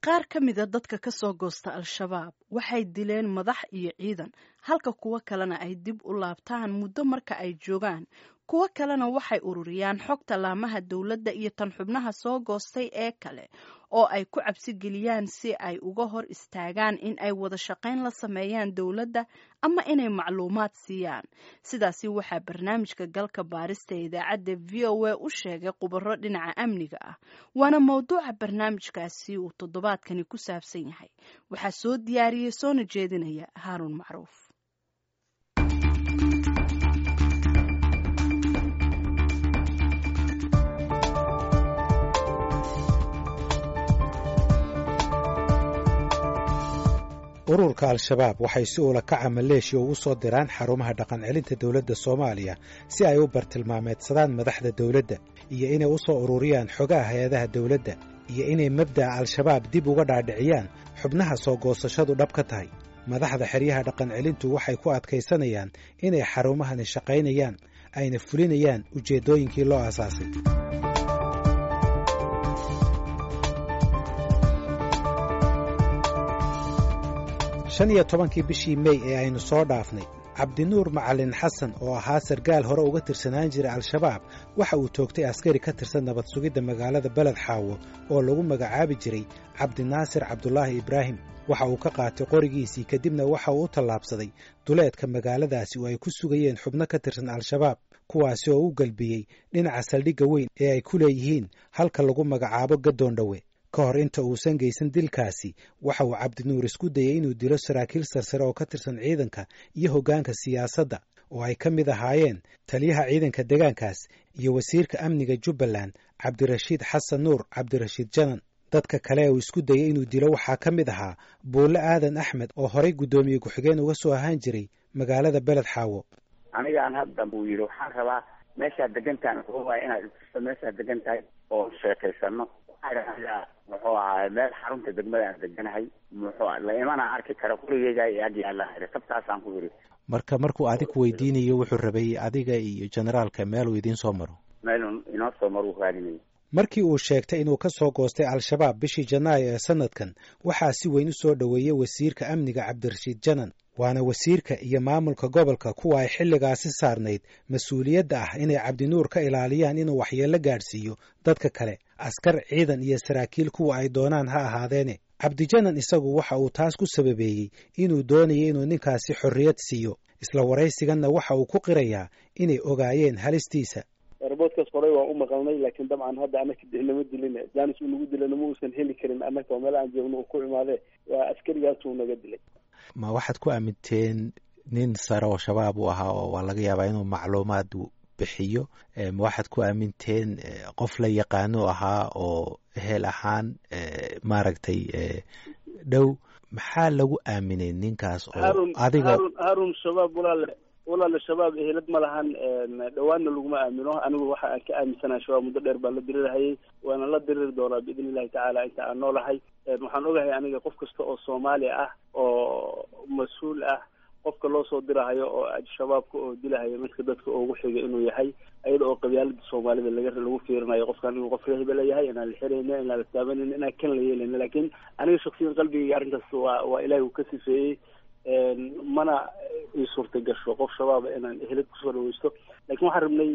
Qaar ka mida dadka ka soo goosta Al-Shabaab waxay dileen madax iyo ciidan, halka kuwo kalena ay dib u laabtaan muddo marka ay joogaan. Kuwo kalena waxay ururiyaan xogta laamaha dowladda iyo tan xubnaha soo goostay ee kale oo ay ku cabsi geliyaan si ay uga hor istaagaan in ay wada shaqayn la sameeyaan dowladda ama inay macluumaad siiyaan. Sidaasi waxaa barnaamijka galka baarista ee idaacadda VOA u sheegay khubaro dhinaca amniga ah, waana mowduuca barnaamijkaasi uu toddobaadkani ku saabsan yahay. Waxaa soo diyaariyey soona jeedinaya Haaruun Macruuf. Ururka Al-Shabaab waxay si ula kaca maleeshiya ugu soo diraan xarumaha dhaqancelinta dowladda Soomaaliya si ay u bartilmaameedsadaan madaxda dowladda iyo inay u soo ururiyaan xogaha hay-adaha dowladda iyo inay mabda'a Al-Shabaab dib uga dhaadhiciyaan xubnaha soo goosashadu dhab ka tahay. Madaxda xeryaha dhaqancelintu waxay ku adkaysanayaan inay xarumahani shaqaynayaan ayna fulinayaan ujeeddooyinkii loo aasaasay. 15-kii bishii Mey ee aynu soo dhaafnay, Cabdinuur Macalin Xasan oo ahaa sargaal hore uga tirsanaan jiray Al-Shabaab waxa uu toogtay askari ka tirsan nabad sugidda magaalada Beled Xaawo oo lagu magacaabi jiray Cabdinaasir Cabdulaahi Ibraahim. Waxa uu ka qaatay qorigiisii, kadibna waxa uu u tallaabsaday duleedka magaaladaasi oo ay ku sugayeen xubno ka tirsan Al-Shabaab, kuwaasi oo u galbiyey dhinaca saldhigga weyn ee ay ku leeyihiin halka lagu magacaabo Gadoondhowe. Ka hor inta uusan geysan dilkaasi, waxa uu Cabdinuur isku dayey inuu dilo saraakiil sarsare oo ka tirsan ciidanka iyo hoggaanka siyaasadda oo ay ka mid ahaayeen taliyaha ciidanka deegaankaas iyo wasiirka amniga Jubbaland, Cabdirashiid Xasan Nuur Cabdirashiid Janan. Dadka kale ee uu isku dayey inuu dilo waxaa ka mid ahaa Buulle Aadan Axmed oo horay guddoomiye ku-xigeen uga soo ahaan jiray magaalada Beled Xaawo. Anigaan hadda buu yidhi, waxaan rabaa meeshaad degantahay, wuxuu waaya inaad itusto meeshaad degan tahay oo sheekaysano. Muxuu ahaay meel xarunta degmada aan deganahay, muxuu la imana arki kara gurigeyga iyo ag yaalla, sabtaasaan ku yidhi. Marka markuu adig weydiinayo, wuxuu rabay adiga iyo generaalka meeluu idiin soo maro. Meeluu inoo soo maro uu raadinayay. Markii uu sheegtay inuu ka soo goostay Al-Shabaab bishii Janaayo ee sanadkan, waxaa si weyn u soo dhoweeyey wasiirka amniga Cabdirashiid Janan, waana wasiirka iyo maamulka gobolka kuwa ay xilligaasi saarnayd mas-uuliyadda ah inay Cabdinuur ka ilaaliyaan inuu waxyeello gaadhsiiyo dadka kale, askar, ciidan iyo saraakiil kuwa ay doonaan ha ahaadeene. Cabdijanan isagu waxa uu taas ku sababeeyey inuu doonayay inuu ninkaasi xorriyad siiyo. Isla waraysiganna waxa uu ku qirayaa inay ogaayeen halistiisa. Roboodkaas horey waan u maqalnay, laakiin dabcan hadda anaka nama dilin, janis uu nagu dilana ma uusan heli karin. Annaka oo meel aan joogno uu ku imaadee, waa askarigaasuu naga dilay. Ma waxaad ku aaminteen nin sare oo Shabaab uu ahaa oo waa laga yaabaa inuu macluumaad bixiyo? Ma waxaad ku aaminteen qof la yaqaano ahaa oo ehel ahaan maaragtay dhow? Maxaa lagu aaminay ninkaas oo adiga? Harun, Shabaab walaale, walaale, Shabaab ehelad ma lahan, dhawaanna laguma aamino. Anigu waxa aan ka aaminsanahay Shabaab muddo dheer baan la dirirahayay, waana la diriri doonaa biidni illahi tacaala inta aan noolahay. Waxaan ogahay aniga qof kasta oo Soomaali ah oo mas-uul ah, qofka loo soo dirahayo oo Shabaabka oo dilahayo midka dadka ugu xiga inuu yahay, iyada oo qabyaalada Soomaalida laga lagu fiirinayo qofkan inuu qof reehbela yahay, inaan la xirayna, inaan la taabanayna, inaan kan la yeelayna. Laakiin aniga shaksiyan qalbigayga arrintaas waa Ilaahi uu ka sifeeyey, mana ii suurta gasho qof Shabaaba inaan ehelad kusoo dhaweysto. Lakin waxaan rabnay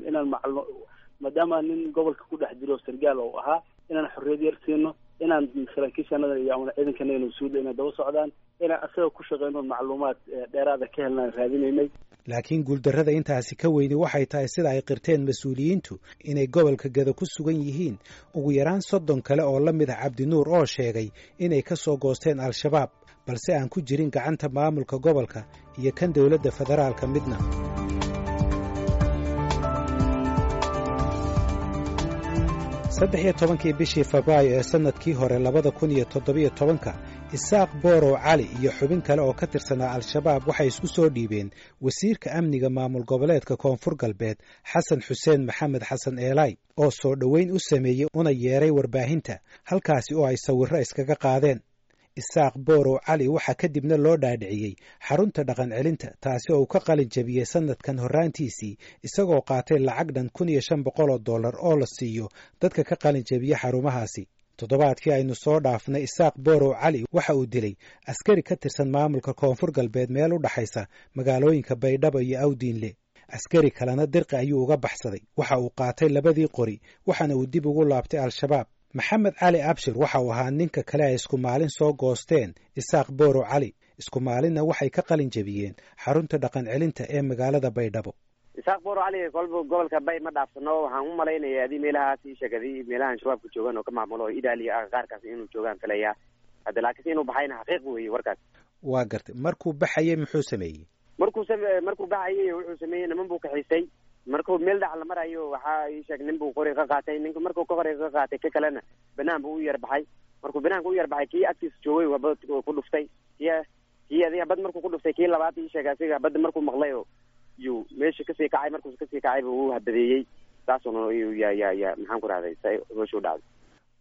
inaan maclo, maadaama nin gobolka ku dhex jiro sargaal oo ahaa, inaan xorriyad yar siino, inaan saraakiishanada iyo ama ciidankanagana mas-uulda inay daba socdaan, inaan asaga ku shaqeyno, macluumaad dheeraada ka helnaan raadinaynay. Laakiin guuldarrada intaasi ka weyni waxay tahay, sida ay qirteen mas-uuliyiintu, inay gobolka Gada ku sugan yihiin ugu yaraan 30 kale oo la mid ah Cabdinuur oo sheegay inay ka soo goosteen Al-Shabaab, balse aan ku jirin gacanta maamulka gobolka iyo kan dowladda federaalka midna. 13-kii bishii Febraayo ee sannadkii hore 2017-ka, Isaaq Boorow Cali iyo xubin kale oo ka tirsanaa Al-Shabaab waxay isku soo dhiibeen wasiirka amniga maamul goboleedka Koonfur Galbeed, Xasan Xuseen Maxamed Xasan Eelay, oo soo dhoweyn u sameeyey una yeeray warbaahinta, halkaasi oo ay sawirro iskaga qaadeen. Isaaq Boorow Cali waxaa kadibna loo dhaadhiciyey xarunta dhaqan celinta, taasi oo uu ka qalin jabiyey sannadkan horraantiisii, isagoo qaatay lacag dhan $1,500 oo la siiyo dadka ka qalin jabiya xarumahaasi. Toddobaadkii aynu soo dhaafnay, Isaaq Borow Cali waxa uu dilay askari ka tirsan maamulka Koonfur Galbeed meel u dhaxaysa magaalooyinka Baydhabo iyo Awdiinle. Askari kalena dirqi ayuu uga baxsaday. Waxa uu qaatay labadii qori, waxaana uu dib ugu laabtay Al-Shabaab. Maxamed Cali Abshir waxa uu ahaa ninka kale ay isku maalin soo goosteen Isaaq Borow Cali, isku maalinna waxay ka qalin jebiyeen xarunta dhaqan celinta ee magaalada Baydhabo. Isaaq Borow Cali kolba gobolka Bay ma dhaafsano. Waxaan u malaynaya adii meelahaas ii sheegadi meelahan shabaabka joogaan oo ka maamulo Idaaliya qaarkaas inuu joogaan filaya hadda, laakiinse inuu baxayna xaqiiq weeye warkaas. Waa gartay. Markuu baxayay muxuu sameeyey? Markuu baxayay wuxuu sameeyey, niman buu kaxiistay. Markuu meel dhax la marayo, waxaa ii sheeg nin buu qori ka qaatay. Ninku markuu ka qori ka qaatay, ka kalena banaan buu u yar baxay. Markuu banaanka u yar baxay, kii agtiisa joogay waa bad ku dhuftay. Kii adiga bad markuu ku dhuftay, kii labaad ii sheegay asiga badda markuu maqlay oo yuu meesha kasii kacay. Markuu kasii kacay buu u habadeeyey, saasuna ya ya ya maxaan ku rahday, meesha u dhacday.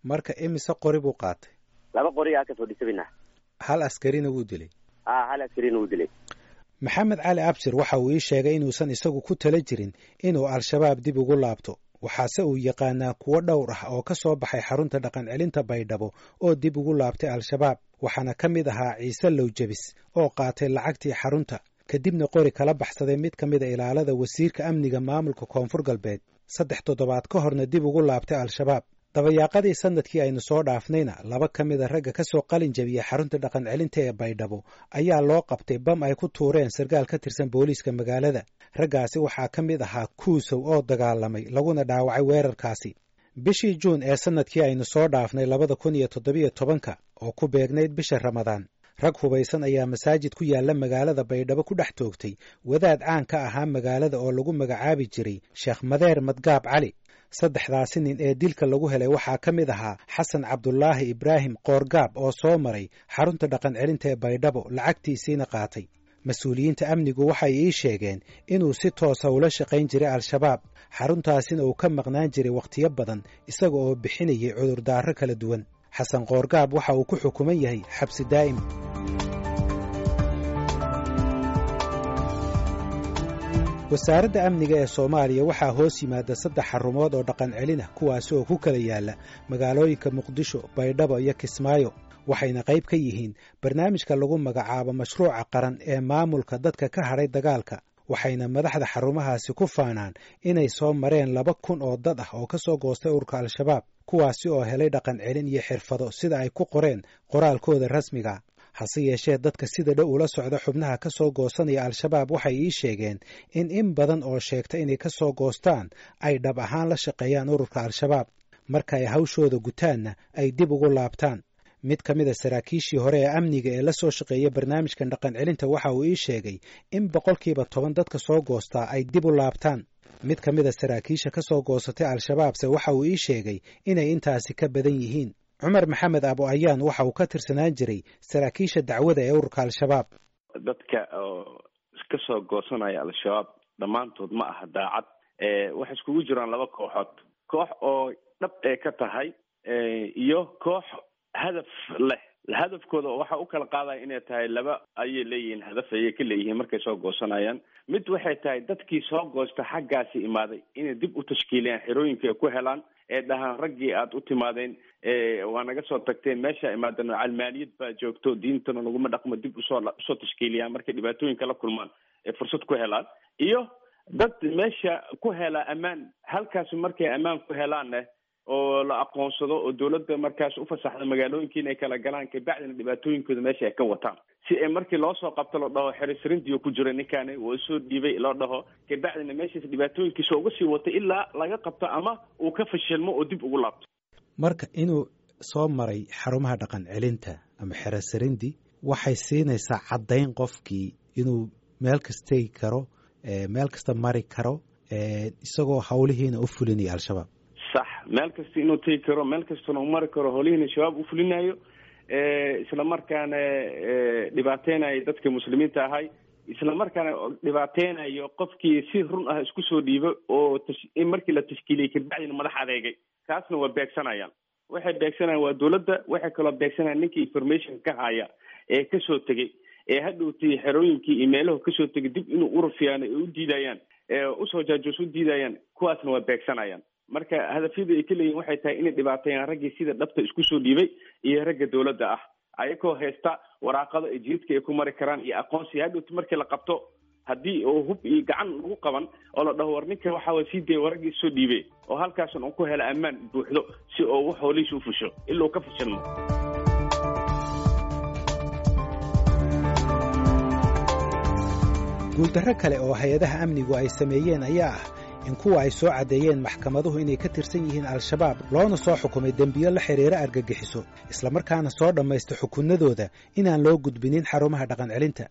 Marka imise qori buu qaatay? 2 qori aa ka fadhiisabina. Hal askarina wuu dilay. Hal askarina wuu dilay. Maxamed Cali Abshir waxa uu ii sheegay inuusan isagu ku tala jirin inuu Al-Shabaab dib ugu laabto, waxaase uu yaqaanaa kuwo dhowr ah oo ka soo baxay xarunta dhaqan celinta Baydhabo oo dib ugu laabtay Al-Shabaab. Waxaana ka mid ahaa Ciise Lowjabis oo qaatay lacagtii xarunta, kadibna qori kala baxsaday mid ka mida ilaalada wasiirka amniga maamulka Koonfur Galbeed, 3 toddobaad ka horna dib ugu laabtay Al-Shabaab. Dabayaaqadii sanadkii aynu soo dhaafnayna, 2 ka mida ragga ka soo qalin jabiyey xarunta dhaqan celinta ee Baydhabo ayaa loo qabtay bam ay ku tuureen sarkaal ka tirsan booliiska magaalada. Raggaasi waxaa ka mid ahaa Kuusow oo dagaalamay laguna dhaawacay weerarkaasi. Bishii Juun ee sanadkii aynu soo dhaafnay 2017 oo ku beegnayd bisha Ramadaan, rag hubaysan ayaa masaajid ku yaalla magaalada Baydhabo ku dhex toogtay wadaad caan ka ahaa magaalada oo lagu magacaabi jiray Sheekh Madeer Madgaab Cali. 3daasi nin ee dilka lagu helay waxaa ka mid ahaa Xasan Cabdulaahi Ibraahim Qoorgaab oo soo maray xarunta dhaqan celinta ee Baydhabo, lacagtiisiina qaatay. Mas-uuliyiinta amnigu waxay ii sheegeen inuu si toosa ula shaqayn jiray Al-Shabaab, xaruntaasina uu ka maqnaan jiray wakhtiyo badan isaga oo bixinayay cudurdaaro kala duwan. Xasan Qoorgaab waxa uu ku xukuman yahay xabsi daa'im. Wasaaradda amniga ee Soomaaliya waxaa hoos yimaada 3 xarumood oo dhaqan celin ah, kuwaasi oo ku kala yaala magaalooyinka Muqdisho, Baydhabo iyo Kismaayo. Waxayna qayb ka yihiin barnaamijka lagu magacaabo mashruuca qaran ee maamulka dadka ka hadhay dagaalka. Waxayna madaxda xarumahaasi ku faanaan inay soo mareen 2000 oo dad ah oo ka soo goostay ururka Al-Shabaab, kuwaasi oo helay dhaqan celin iyo xirfado sida ay ku qoreen qoraalkooda rasmiga. Hase yeeshee, dadka sida dhow ula socda xubnaha ka soo goosanaya Al-Shabaab waxay ii sheegeen in badan oo sheegta inay ka soo goostaan ay dhab ahaan la shaqeeyaan ururka Al-Shabaab, marka ay hawshooda gutaanna ay dib ugu laabtaan. Mid ka mid a saraakiishii hore ee amniga ee la soo shaqeeya barnaamijkan dhaqan celinta waxa uu ii sheegay in 10% dadka soo goostaa ay dib u laabtaan. Mid ka mid a saraakiisha ka soo goosatay Al-Shabaabse waxa uu ii sheegay inay intaasi ka badan yihiin. Cumar Maxamed Abu Ayaan waxa uu ka tirsanaan jiray saraakiisha dacwada ee ururka Al-Shabaab. Dadka oo ka soo goosanaya Al-Shabaab dhammaantood ma aha daacad. Waxay iskugu jiraan 2 kooxood, koox oo dhab ee ka tahay iyo koox hadaf leh. Hadafkooda waxa u kala qaadaya inay tahay 2 ayay leeyihiin, hadaf ayay ka leeyihiin markay soo goosanayaan. Mid waxay tahay dadkii soo goosta xaggaasi imaaday inay dib u tashkiiliyaan xerooyinka ay ku helaan, ee dhahaan raggii aad u timaadeen waa naga soo tagteen, meesha imaadeen calmaaniyad baa joogto, diintana laguma dhaqmo, dib usoo tashkiiliyaan markay dhibaatooyinka la kulmaan ee fursad ku helaan. Iyo dad meesha ku hela ammaan, halkaas markay ammaan ku helaanne oo la aqoonsado oo dowladda markaas u fasaxda magaalooyinka inay kala galaan, kabacdina dhibaatooyinkooda meesha ay ka wataan, si ay markii loo soo qabto loo dhaho xerisrintiyo ku jira ninkaani waa soo dhiibay loo dhaho, kabacdina meeshaas dhibaatooyinkiisa uga sii wata ilaa laga qabto ama uu ka fashilmo oo dib ugu laabto. Marka inuu soo maray xarumaha dhaqan celinta ama xerosrindi waxay siinaysaa caddayn qofkii inuu meel kasta tegi karo, meel kasta mari karo, isagoo hawlihiina u fulinaya Al-Shabaab. Sax, meel kasta inuu tegi karo, meel kastana u mari karo, howlihiina shabaab u fulinayo, isla markaana dhibaateynayo dadka muslimiinta ahay, isla markaana dhibaateynayo qofkii si run ah isku soo dhiibo oo markii la tashkiiliyey kabacdina madax adeegay, kaasna waa beegsanayaan. Waxay beegsanayaan waa dowladda, waxay kaloo beegsanayaan ninkii information ka haya ee kasoo tegey, ee hadhowtay xerooyinkii iyo meelahu kasoo tegay dib inuu urufiyaan ay u diidayaan, usoo jaajoos u diidayaan, kuwaasna waa beegsanayaan. Marka hadafyada ay ka leeyihin waxay tahay inay dhibaateeyaan raggii sida dhabta isku soo dhiibay iyo ragga dowladda ah, ayagoo haysta waraaqado ay jidadka ay ku mari karaan iyo aqoonsi. Hadhowti markii la qabto, haddii oo hub iyo gacan lagu qaban oo la dhaho war ninka waxaa way sii daya war raggii soo dhiibay, oo halkaasan uu ku helo ammaan buuxdo si oo wax hoolihiisa u fusho ilaa uu ka fashilmo. Guuldarro kale oo hay-adaha amnigu ay sameeyeen ayaa ah in kuwa ay soo caddeeyeen maxkamaduhu inay ka tirsan yihiin Al-Shabaab, loona soo xukumay dembiyo la xidhiira argagixiso, islamarkaana soo dhammaysta xukunnadooda, inaan loo gudbinin xarumaha dhaqan celinta.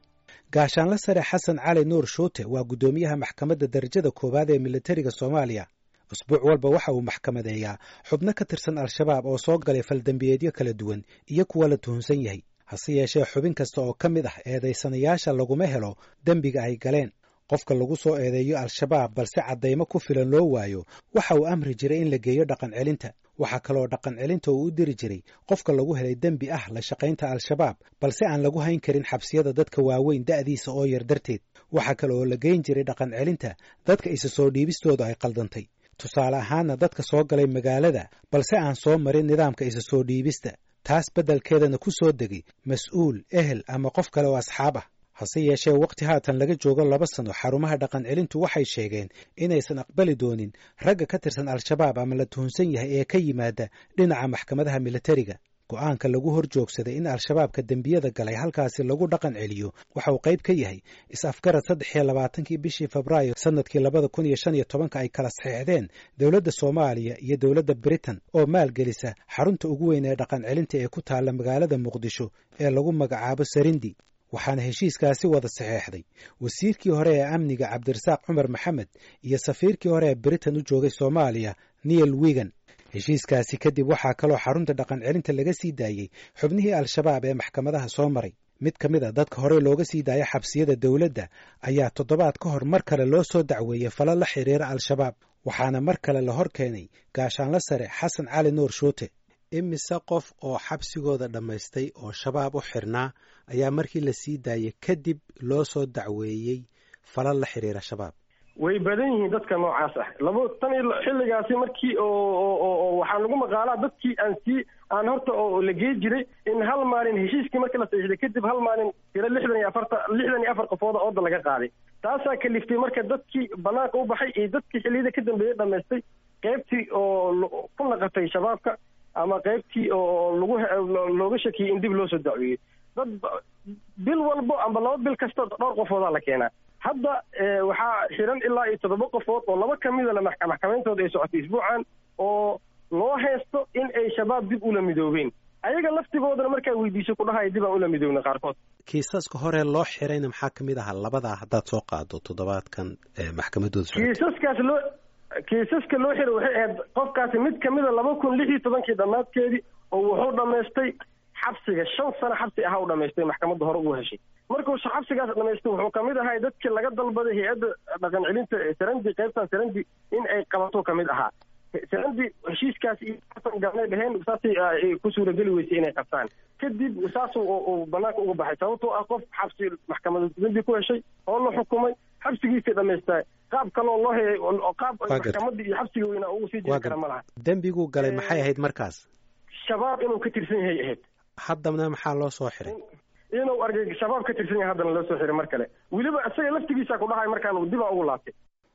Gaashaanla Sare Xasan Cali Nuur Shuute waa guddoomiyaha maxkamadda darajada koowaad ee militariga Soomaaliya. Usbuuc walba waxa uu maxkamadeeyaa xubno ka tirsan Al-Shabaab oo soo galay faldembiyeedyo kala duwan iyo kuwa la tuhunsan yahay. Hase yeeshee, xubin kasta oo ka mid ah eedaysanayaasha laguma helo dembiga ay galeen. Qofka lagu soo eedeeyo Al-Shabaab balse caddaymo ku filan loo waayo, waxa uu amri jiray in la geeyo dhaqan celinta. Waxaa kaloo dhaqan celinta uu u diri jiray qofka lagu helay dembi ah la shaqaynta Al-Shabaab, balse aan lagu hayn karin xabsiyada dadka waaweyn da'diisa oo yar darteed. Waxaa kale oo la geyn jiray dhaqan celinta dadka isa soo dhiibistooda ay qaldantay, tusaale ahaanna dadka soo galay magaalada balse aan soo marin nidaamka isa soo dhiibista, taas beddelkeedana ku soo degay mas-uul, ehel ama qof kale oo asxaab ah. Hase yeeshee, waqti haatan laga joogo 2 sano, xarumaha dhaqan celintu waxay sheegeen inaysan aqbali doonin ragga ka tirsan Al-Shabaab ama la tuhunsan yahay ee ka yimaada dhinaca maxkamadaha militariga. Go'aanka lagu hor joogsaday in Al-Shabaabka dembiyada galay halkaasi lagu dhaqan celiyo waxa uu qayb ka yahay is-afgarad 23-kii bishii Febraayo sanadkii 2015-ka ay kala saxeexdeen dowladda Soomaaliya iyo dowladda Britain oo maalgelisa xarunta ugu weyn ee dhaqan celinta ee ku taalla magaalada Muqdisho ee lagu magacaabo Sarindi. Waxaana heshiiskaasi wada saxeexday wasiirkii hore ee amniga Cabdirasaaq Cumar Maxamed iyo safiirkii hore ee Britain u joogay Soomaaliya, Neil Wigan. Heshiiskaasi kadib waxaa kaloo xarunta dhaqan celinta laga sii daayey xubnihii Al-Shabaab ee maxkamadaha soo maray. Mid ka mid a dadka horey looga sii daaya xabsiyada dowladda ayaa toddobaad ka hor mar kale loo soo dacweeyey falo la xiriira Al-Shabaab, waxaana mar kale la hor keenay Gaashaanla Sare Xasan Cali Nuur Shuute. Imise qof oo xabsigooda dhammaystay oo Shabaab u xirnaa ayaa markii la sii daayey kadib loo soo dacweeyey falal la xiriira Shabaab? Way badan yihiin dadka noocaas ah. Labo tan iyo xilligaasi markii oo waxaa lagu maqaalaa dadkii aan sii aan horta oo la gey jiray in hal maalin heshiiskii markii la saxiixday kadib hal maalin tiro 64, 64 qofooda ooda laga qaaday. Taasaa kaliftay marka dadkii banaanka u baxay iyo dadkii xilliyada ka dambeeyey dhamaystay qaybtii oo ku naqatay Shabaabka ama qaybtii oo lagu looga shakiyey in dib loo soo dacweeyey. Dad bil walbo amba 2 bil kasta dhowr qofoodaa la keenaa. Hadda waxaa xiran ilaa iyo toddoba qofood oo laba kamida la maxkamayntooda ay socotay isbuucan oo loo haysto in ay Shabaab dib ula midoobeen. Ayaga laftigoodana markaa weydiiso ku dhahaya dib aan ula midoobna qaarkood. Kiisaska hore loo xirayna maxaa kamid ahaa, labadaa haddaad soo qaado, toddobaadkan maxkamadooda socotay? Kiisaska loo xiray waxay ahayd qofkaasi mid kamida 2016-kii dhammaadkeedii oo wuxuu dhammaystay xabsiga, 5 sano xabsi ahaa u dhamaystay, maxkamadda hore ugu heshay. Markuu xabsigaas dhamaystay, wuxuu kamid ahay dadkii laga dalbaday hay-adda dhaqan celinta Sarandi, qaybtan Sarandi in ay qabato kamid ahaa. Sarandi heshiiskaas iyo galnay dheheen, saasay ku suurageli weysay inay qabtaan. Kadib saas uu banaanka uga baxay, sababtoo ah qof xabsi maxkamada dambi ku heshay oo la xukumay, xabsigiisay dhamaystaa, qaab kaloo loo helay, qaab maxkamadda iyo xabsiga weynaa ugu sii jiri kara ma laha. Dembiguu galay maxay ahayd markaas? Shabaab inuu ka tirsan yahay ahayd. Haddana maxaa loo soo xiray? Inuu argay Shabaab ka tirsan yahay haddana loo soo xiray mar kale. Weliba isaga laftigiisa ku dhahay markaan dib aan ugu laabtay.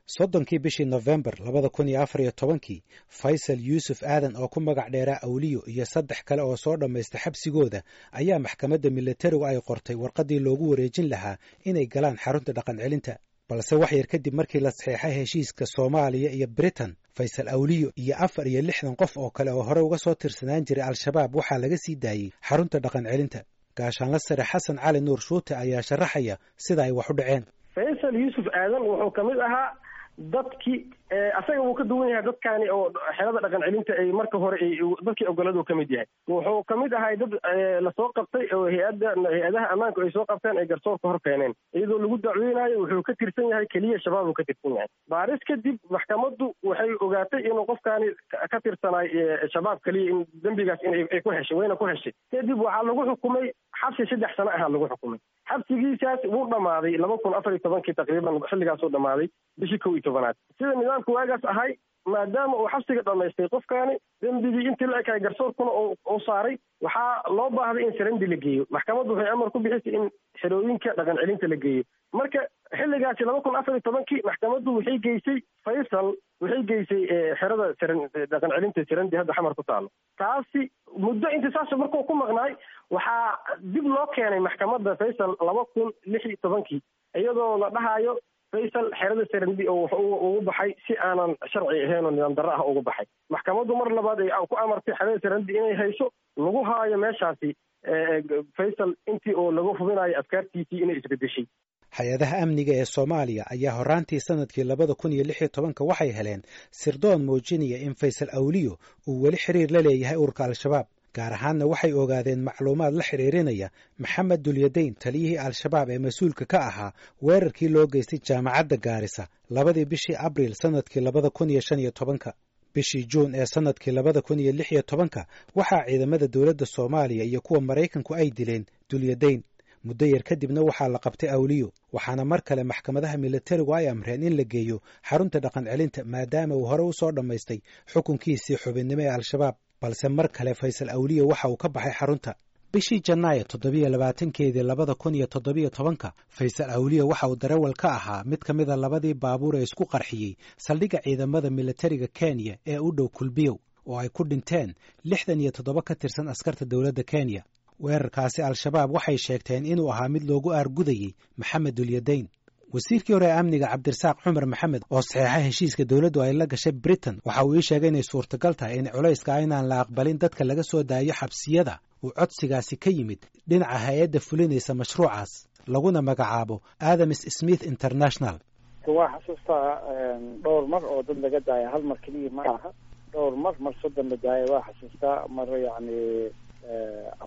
30-kii bishii Nofembar 2014-kii, Faysal Yuusuf Aadan oo ku magac dheeraa Awliyo iyo saddex kale oo soo dhammaysta xabsigooda ayaa maxkamadda militarigu ay qortay warqaddii loogu wareejin lahaa inay galaan xarunta dhaqan celinta. Balse wax yar kadib markii la saxeexay heshiiska Soomaaliya iyo Britain, Faysal Awliyo iyo 64 qof oo kale oo hore uga soo tirsanaan jiray Al-Shabaab waxaa laga sii daayey xarunta dhaqan celinta. Gaashaanla Sare Xasan Cali Nuur Shuute ayaa sharaxaya sida ay wax u dhaceen. Faysal Yuusuf Aadan wuxuu ka mid ahaa dadkii, asaga wuu ka duwan yahay dadkaani oo xerada dhaqan celinta ay marka hore dadkii ogoladu ka mid yahay. Wuxuu ka mid ahay dad lasoo qabtay oo hay-adda hay-adaha ammaanku ay soo qabteen, ay garsoorka hor keeneen iyadoo lagu dacweynayo wuxuu ka tirsan yahay keliya Shabaab uu ka tirsan yahay. Baaris kadib maxkamaddu waxay ogaatay inuu qofkaani ka tirsanaay Shabaab keliya, in dembigaas inay ku heshay, wayna ku heshay. Kadib waxaa lagu xukumay xabsi 3 sano ahaa lagu xukumay. Xabsigiisaas wuu dhammaaday 2014-kii taqriiban, xilligaasuu dhammaaday bishii 11aad, sida nidaamka waagaas ahay. Maadaama uu xabsiga dhammaystay qofkaani dembigii intii la ekaay garsoorkuna uu saaray, waxaa loo baahday in sarandi la geeyo. Maxkamaddu waxay amar ku bixisay in xerooyinka dhaqan celinta la geeyo. Marka xilligaasi 2014-kii maxkamaddu waxay geysay Faysal, waxay geysay xerada dhaqan celinta Sarandi hadda Xamar ku taalo. Taasi muddo inta saas markuu ku maqnaay waxaa dib loo keenay maxkamadda Faysal 2016-kii, iyadoo la dhahayo Faysal xerada Sarandi oo wuxuu ugu baxay si aanan sharci ahayn oo nidaam darro ah ugu baxay. Maxkamaddu mar labaad ay ku amartay xerada Sarandi inay hayso, lagu haayo meeshaasi Faysal intii oo lagu hubinayo afkaartiisii inay isbedeshay. Hay-adaha amniga ee Soomaaliya ayaa horraantii sanadkii 2016-ka waxay heleen sirdoon muujinaya in Faysal Awliyo uu weli xiriir la leeyahay ururka Al-Shabaab. Gaar ahaanna waxay ogaadeen macluumaad la xidhiirinaya Maxamed Dulyadayn, taliyihii Al-Shabaab ee mas-uulka ka ahaa weerarkii loo geystay jaamacadda Gaarisa 2dii bishii Abriil sanadkii 2015-ka. Bishii Juun ee sanadkii 2016-ka waxaa ciidamada dowladda Soomaaliya iyo kuwa Maraykanku ay dileen Dulyadayn. Muddo yar kadibna waxaa la qabtay Awliyo, waxaana mar kale maxkamadaha militarigu ay amreen in la geeyo xarunta dhaqan celinta, maadaama uu hore u soo dhammaystay xukunkiisii xubinnimo ee Al-Shabaab. Balse mar kale Faysal Awliyo waxa uu ka baxay xarunta. Bishii Janaayo 27-keedii 2017-ka Faysal Awliyo waxa uu darawal ka ahaa mid ka mida labadii baabuur ee isku qarxiyey saldhigga ciidamada militariga Kenya ee u dhow Kulbiyow, oo ay ku dhinteen 67 ka tirsan askarta dowladda Kenya. Weerarkaasi Al-Shabaab waxay sheegteen inuu ahaa mid loogu aargudayey Maxamed Dulyadayn. Wasiirkii hore ee amniga Cabdirasaaq Cumar Maxamed oo saxeexa heshiiska dowladdu ay la gashay Britain waxa uu ii sheegay inay suurtagal tahay in culayska inaan la aqbalin dadka laga soo daayo xabsiyada uu codsigaasi ka yimid dhinaca hay-adda fulinaysa mashruucaas laguna magacaabo Adams Smith International. Waa xasuustaa dhowr mar oo dad laga daaya, hal mar keliya ma aha, dhowr mar, mar 30 la daaya waa xasuustaa, mar yacni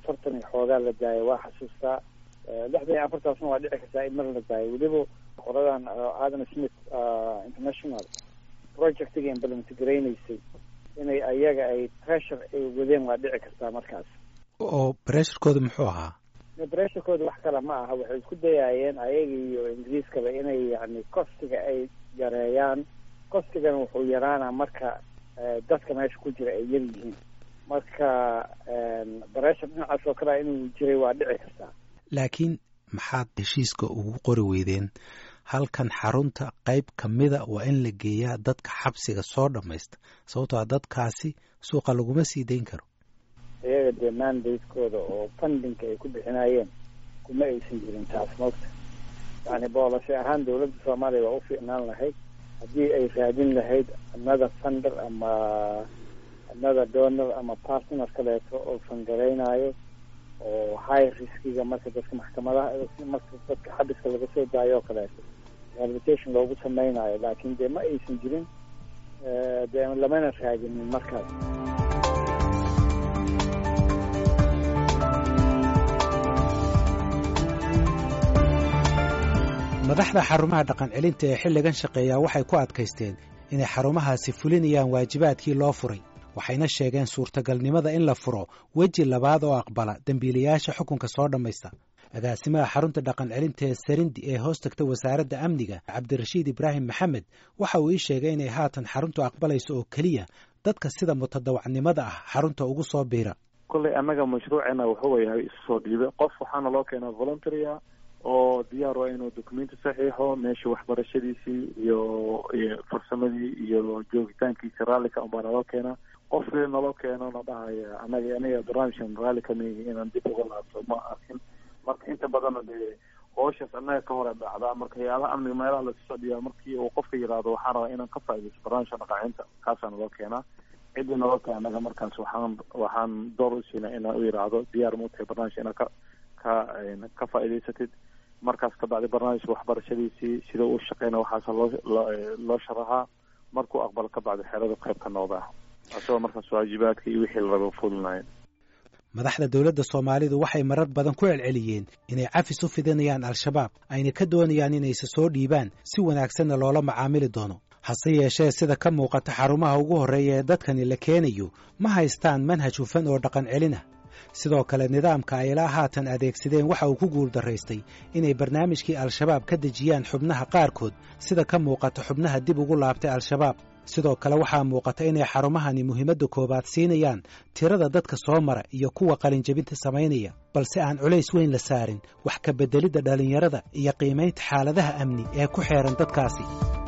40 iyo xoogaa la daaya waa xasuustaa, 64-taasna waa dhici kartaa in mar la daayo. Weliba qoradan Adam Smith International projectiga implement garaynaysay inay ayaga ay pressure ay wadeen waa dhici kartaa markaas. Oo pressurekooda muxuu ahaa? Pressurekooda wax kale ma aha, waxay isku dayaayeen ayaga iyo Ingiriiskaba inay yani costiga ay yareeyaan. Costigana wuxuu yaraanaa marka dadka meesha ku jira ay yar yihiin. Marka pressure dhinacaas oo kalea inuu jiray waa dhici kartaa. Laakiin maxaad heshiiska ugu qori weydeen halkan xarunta qayb ka mida waa in la geeyaa dadka xabsiga soo dhammaysta, sababtoo a dadkaasi suuqa laguma sii dayn karo? Iyaga dee mandatekooda oo fundingka ay ku bixinayeen kuma aysan jirin taas, moogta. Yani boolashe ahaan dowladda Soomaaliya waa u fiicnaan lahayd haddii ay raadin lahayd another funder ama another donor ama partner kaleeto oo fangaraynayo oo high riskiga marka dadka maxkamadaha, marka dadka xabiska laga soo daayo oo kaleeto rehabilitation loogu samaynayo. Laakiin dee ma aysan jirin, dee lamana raadinin markaas. Madaxda xarumaha dhaqan celinta ee xilligan shaqeeyaa waxay ku adkaysteen inay xarumahaasi fulinayaan waajibaadkii loo furay, waxayna sheegeen suurtagalnimada in la furo weji labaad oo aqbala dembiilayaasha xukunka soo dhammaysta. Agaasimaha xarunta dhaqan celinta ee Sarindi ee hoos tagta wasaaradda amniga, Cabdirashiid Ibraahim Maxamed, waxa uu ii sheegay inay haatan xaruntu aqbalayso oo keliya dadka sida mutadawacnimada ah xarunta ugu soo biira. Kolley annaga mashruuceena wuxuu yahay isu soo dhiibe qof, waxaana loo keenaa voluntarya oo diyaar waa inuu documenti saxiixo, meesha waxbarashadiisii iyo farsamadii iyo joogitaankiisi raalli ka unbaa naloo keenaa. Qof naloo keeno na dhahaya anaga aniga barnaamijkan raalli kamihi inaan dib uga laabto ma arkin. Marka inta badanna dee howshaas annaga ka hore dhacdaa. Marka hay-adaha amniga meelaha lasu soo dhiibaa markii uu qofka yidhaahdo waxaan rabaa inaan ka faaidaysto barnaamijka dhaqaacinta, kaasaa naloo keenaa. Ciddii naloo keena annaga markaas waxaan door u siinaa inaan u yidhaahdo diyaar ma u tahay barnaamijka inaad ka faa'idaysatid. Markaas ka bacdi barnaamijka waxbarashadiisii sida uu shaqeyna waxaasa loo sharaxaa. Markuu aqbalo ka bacdi xerada qayb ka noqdaa asagoo markaas waajibaadka iyo wixii la rabo fulinayo. Madaxda dowladda Soomaalidu waxay marar badan ku celceliyeen inay cafis u fidinayaan Al-Shabaab, ayna ka doonayaan inayse soo dhiibaan si wanaagsanna loola macaamili doono. Hase yeeshee sida ka muuqata xarumaha ugu horreeya ee dadkani la keenayo ma haystaan manhaj hufan oo dhaqan celin ah. Sidoo kale nidaamka ay ilaa haatan adeegsadeen waxa uu ku guuldarraystay inay barnaamijkii Al-Shabaab ka dejiyaan xubnaha qaarkood, sida ka muuqata xubnaha dib ugu laabtay Al-Shabaab. Sidoo kale waxaa muuqata inay xarumahani muhiimadda koowaad siinayaan tirada dadka soo mara iyo kuwa qalinjebinta samaynaya, balse aan culays weyn la saarin wax ka beddelidda dhallinyarada iyo qiimaynta xaaladaha amni ee ku xeeran dadkaasi.